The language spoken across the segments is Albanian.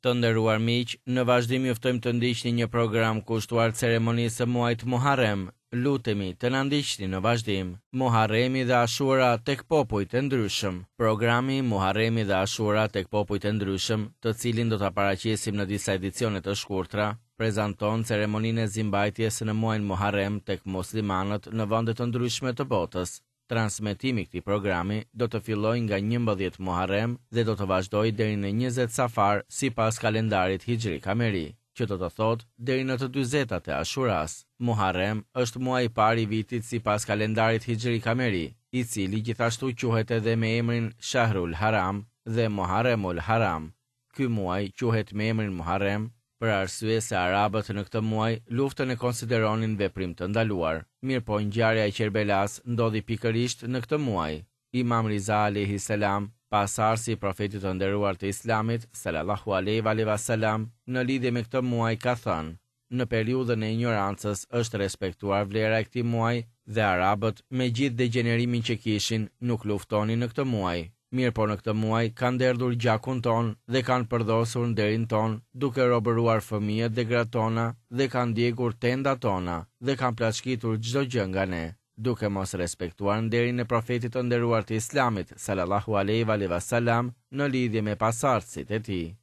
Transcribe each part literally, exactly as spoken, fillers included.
Të nderuar miq, në vazhdim ju ftojmë të ndiqni një program kushtuar ceremonisë së muajit Muharrem. Lutemi të na ndiqni në vazhdim. Muharremi dhe Ashura tek popujt e ndryshëm. Programi Muharremi dhe Ashura tek popujt e ndryshëm, të cilin do ta paraqesim në disa edicione të shkurtra, prezanton ceremoninë e zimbajtjes në muajin Muharrem tek muslimanët në vende të ndryshme të botës. Transmetimi i këtij programi do të fillojë nga njëmbëdhjetë Muharrem dhe do të vazhdojë deri në njëzet Safar sipas kalendarit Hijri Kameri, që do të thotë deri në të dyzetat e Ashuras. Muharrem është muaji i parë i vitit sipas kalendarit Hijri Kameri, i cili gjithashtu quhet edhe me emrin Shahrul Haram dhe Muharremul Haram. Ky muaj quhet me emrin Muharrem për arsye se arabët në këtë muaj luftën e konsideronin veprim të ndaluar. Mirëpo ngjarja e Qerbelas ndodhi pikërisht në këtë muaj. Imam Riza alayhi salam, pasardhësi i profetit të nderuar të Islamit, sallallahu alaihi wa sallam, në lidhje me këtë muaj ka thënë: në periudhën e ignorancës është respektuar vlera e këtij muaji dhe arabët, me gjithë degjenerimin që kishin, nuk luftonin në këtë muaj. Mirë po në këtë muaj kanë derdhur gjakun ton dhe kanë përdhosur nderin ton, duke robëruar fëmijët dhe gratë tona dhe kanë djegur tendat tona dhe kanë plaçkitur çdo gjë nga ne, duke mos respektuar nderin e profetit të nderuar të Islamit, sallallahu alaihi wa sallam, në lidhje me pasardhësit e tij.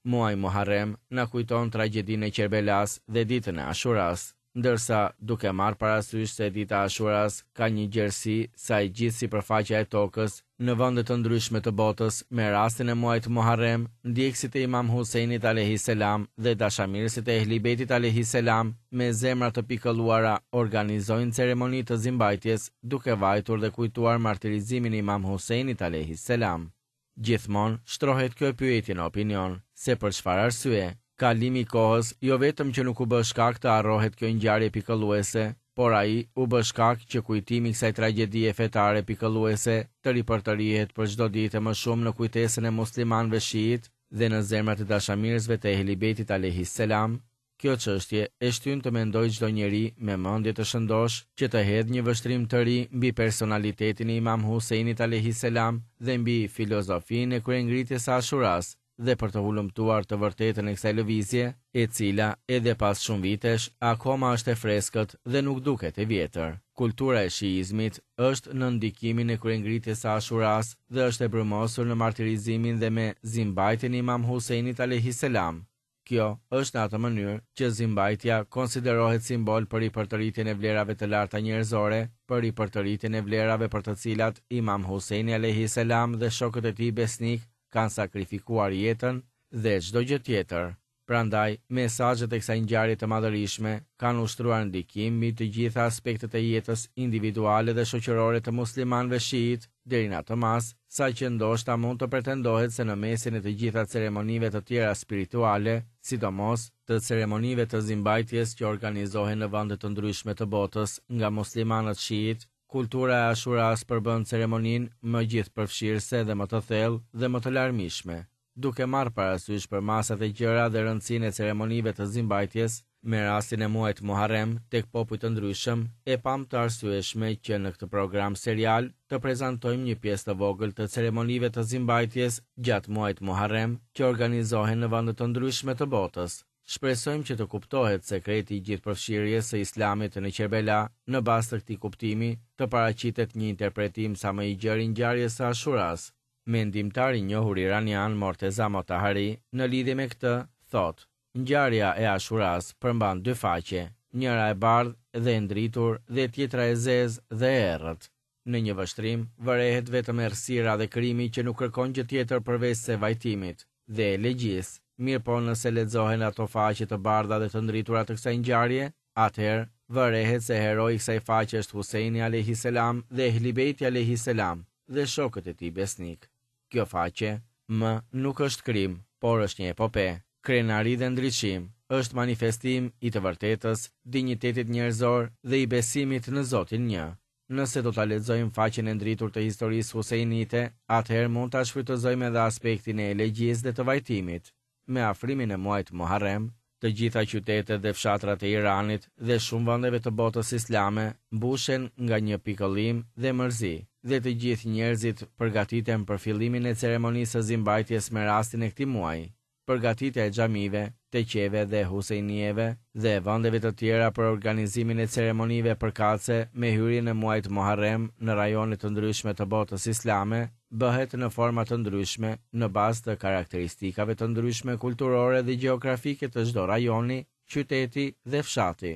Muaji Muharrem na kujton tragjedinë e Qerbelas dhe ditën e Ashuras, ndërsa duke marrë parasysh se dita e Ashuras ka një gjerësi sa e gjithë sipërfaqja e tokës në vende të ndryshme të botës, me rastin e muajit Muharrem, ndjekësit e Imam Huseinit alayhi selam dhe dashamirësit e Ehli Bejtit alayhi selam me zemra të pikëlluara organizojnë ceremoni të zimbajtjes duke vajtur dhe kujtuar martirizimin e Imam Huseinit alayhi selam. Gjithmonë shtrohet kjo pyetje në opinion, se për çfarë arsye kalimi i kohës jo vetëm që nuk u bë shkak të harrohet kjo ngjarje pikëlluese, por ai u bë shkak që kujtimi i kësaj tragjedie fetare pikëlluese të ripërtërihet për çdo ditë më shumë në kujtesën e muslimanëve shiit dhe në zemrat e dashamirësve të Ehli Bejtit alayhi selam. Kjo çështje e shtyn të mendoj çdo njeri me mendje të shëndosh që të hedhë një vështrim të ri mbi personalitetin e Imam Huseinit alayhi selam dhe mbi filozofinë e kryengritjes së Ashuras, dhe për të hulumtuar të vërtetën e kësaj lëvizje, e cila edhe pas shumë vitesh akoma është e freskët dhe nuk duket e vjetër. Kultura e shiizmit është në ndikimin e kryengritjes së Ashuras dhe është e brumosur në martirizimin dhe me zimbajtjen e Imam Huseinit alayhi selam. Kjo është në atë mënyrë që zimbajtja konsiderohet simbol për ripërtëritjen e vlerave të larta njerëzore, për ripërtëritjen e vlerave për të cilat Imam Huseini alayhi selam dhe shokët e tij besnik kanë sakrifikuar jetën dhe çdo gjë tjetër. Prandaj, mesazhet e kësaj ngjarje të madhërishme kanë ushtruar ndikim mbi të gjitha aspektet e jetës individuale dhe shoqërore të muslimanëve shiit, deri në atë masë, sa që ndoshta mund të pretendohet se në mesin e të gjitha ceremonive të tjera spirituale, sidomos të ceremonive të zimbajtjes që organizohen në vende të ndryshme të botës nga muslimanët shiit, kultura e Ashuras përbën ceremoninë më gjithëpërfshirëse dhe më të thellë dhe më të larmishme. Duke marrë parasysh për masat e gjëra dhe rëndësinë e ceremonive të zimbajtjes, me rastin e muajit Muharrem tek popujt të ndryshëm, e pam të arsyeshme që në këtë program serial të prezantojmë një pjesë të vogël të ceremonive të zimbajtjes gjatë muajit Muharrem që organizohen në vende të ndryshme të botës. Shpresojmë që të kuptohet sekreti i gjithëpërfshirjes së Islamit në Qerbela, në bazë të këtij kuptimi, të paraqitet një interpretim sa më i gjerë i ngjarjes së Ashuras. Mendimtari i njohur iranian Morteza Motahari në lidhje me këtë thotë: ngjarja e Ashuras përmban dy faqe, njëra e bardhë dhe e ndritur dhe tjetra e zezë dhe e errët. Në një vështrim vërehet vetëm errësira dhe krimi që nuk kërkon gjë tjetër përveç se vajtimit dhe elegjisë. Mirë po nëse lexohen ato faqe të bardha dhe të ndritura të kësaj ngjarje, atëherë vërehet se heroi i kësaj faqe është Huseini alayhi selam dhe Ehli Bejti alayhi selam dhe shokët e tij besnik. Kjo faqe më nuk është krim, por është një epope, krenari dhe ndriçim, është manifestim i të vërtetës, dinjitetit njerëzor dhe i besimit në Zotin një. Nëse do ta lexojmë faqen e ndritur të historisë Huseinite, atëherë mund ta shfrytëzojmë edhe aspektin e elegjisë dhe të vajtimit. Me afrimin e muajit Muharrem, të gjitha qytetet dhe fshatrat e Iranit dhe shumë vendeve të botës islame mbushen nga një pikëllim dhe mërzi, dhe të gjithë njerëzit përgatiten për fillimin e ceremonisë së zimbajtjes me rastin e këtij muaji. Përgatitja e xhamive, teqeve dhe husejnijeve dhe vendeve të tjera për organizimin e ceremonive përkatëse me hyrjen e muajit Muharrem në rajone të ndryshme të botës islame bëhet në forma të ndryshme në bazë të karakteristikave të ndryshme kulturore dhe gjeografike të çdo rajoni, qyteti dhe fshati.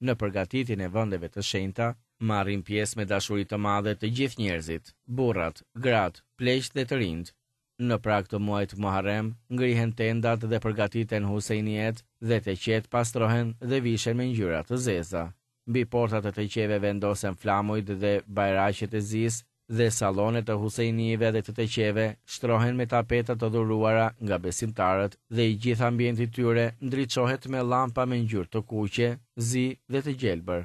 Në përgatitjen e vendeve të shenjta marrin pjesë me dashuri të madhe të gjithë njerëzit, burrat, gratë, pleqtë dhe të rinjtë. Në prag të muajit Muharrem ngrihen tendat dhe përgatiten husejnijet dhe teqet pastrohen dhe vishen me ngjyra të zeza. Mbi portat e teqeve vendosen flamujt dhe bajraqet e zisë dhe sallonet e husejnive dhe të teqeve shtrohen me tapeta të dhuruara nga besimtarët dhe i gjithë ambienti i tyre ndriçohet me llampa me ngjyrë të kuqe, zi dhe të gjelbër.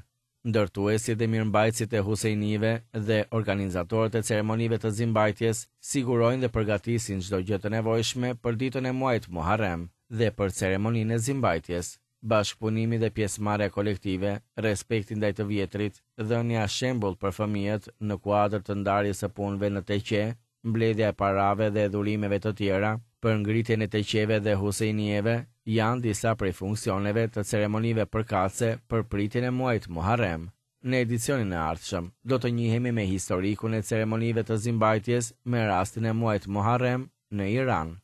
Ndërtuesit dhe mirëmbajtësit e husejnive dhe organizatorët e ceremonive të zimbajtjes sigurojnë dhe përgatisin çdo gjë të nevojshme për ditën e muajit Muharrem dhe për ceremoninë e zimbajtjes. Bashkëpunimi dhe pjesëmarrja kolektive, respekti ndaj të vjetrit, dhënia shembull për fëmijët në kuadër të ndarjes së punëve në teqe, mbledhja e parave dhe dhurimeve të tjera për ngritjen e teqeve dhe husejnijeve janë disa prej funksioneve të ceremonive përkatëse për pritjen e muajit Muharrem. Në edicionin e ardhshëm do të njihemi me historikun e ceremonive të zimbajtjes me rastin e muajit Muharrem në Iran.